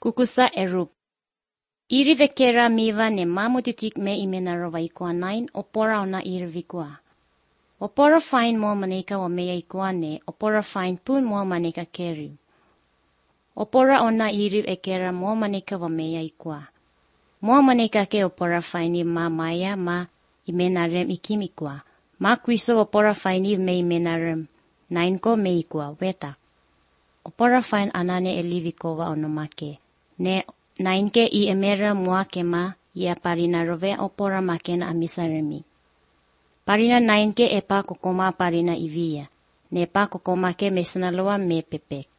Kukusa erup. Irivekera miva ne mamutitik me imenarova ikua nain opora ona irivikua. Opora fine mo maneka wa meya ikua ne opora fine pun mo maneka keri. Opora ona iriv ekera mo maneka wa meya ikua. Mo maneka ke opora fine ma maya ma imenarem ikimikua. Ma kuiso opora fine me imenarem nain ko me ikua wetak. Opora fine anane elivikova onomake. Ne nainke I emera muake ma ia parina rove opora makena amisaremi. Parina nainke epa kokoma parina ivia. Ne pa kokoma ke mesanaloa me pepek.